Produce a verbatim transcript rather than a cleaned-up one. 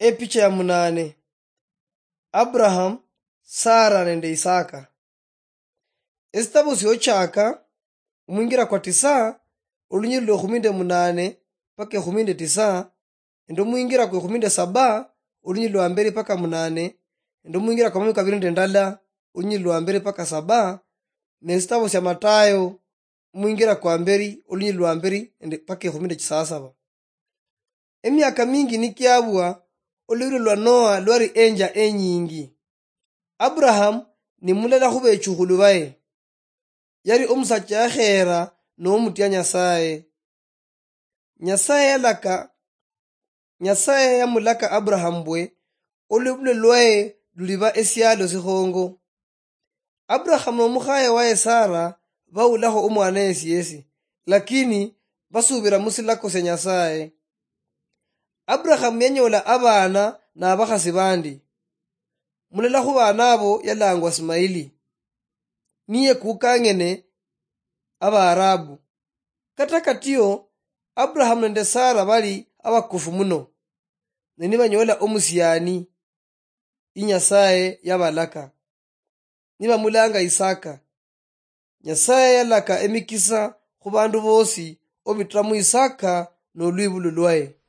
Epicha ya munane. Abraham, Sara nende Isaka. Esitabo siochaka, omwingira kwa tisa, olunyiri lwa ekhumi nde munane paka ekhumi nde tisa, nende omwingira kwa ekhumi nde saba, olunyiri lwa mberi paka munane, nende omwingira kwa makhumi kabiri nde ndala, olunyiri lwa mberi paka saba, nesitabo sia Matayo, omwingira kwa mberi, olunyiri lwa mberi nende paka ekhumi nde chisasaba. Emiaka mingi nikiabwa, olwibulwa lwa Noa lwali enja enyingi. Abraham ni mulala khubechukhulu baye. Yali omusacha yakhera nomutia Nyasaye. Nyasaye yalaka, Nyasaye yamulaka Abraham mbwe, olwibulwa lwaye luliba esialo sikhongo. Abraham nomukhaye waye Sara bawulakho omwana yesi yesi, lakini basubira musilako sia Nyasaye. Abraham yanyola abana nabakhasi bandi. Mulala khubana abo yalangwa Ismaili, niye kukang'ene Abaarabu. Kata katio, Abraham nende Sara bali abakofu muno, ne nibanyola omusiani, inyasaye yabalaka, nibamulanga Isaka. Nyasaye yalaka emikisa khubandu bosi obitira mu Isaka nolwibulu lwaye.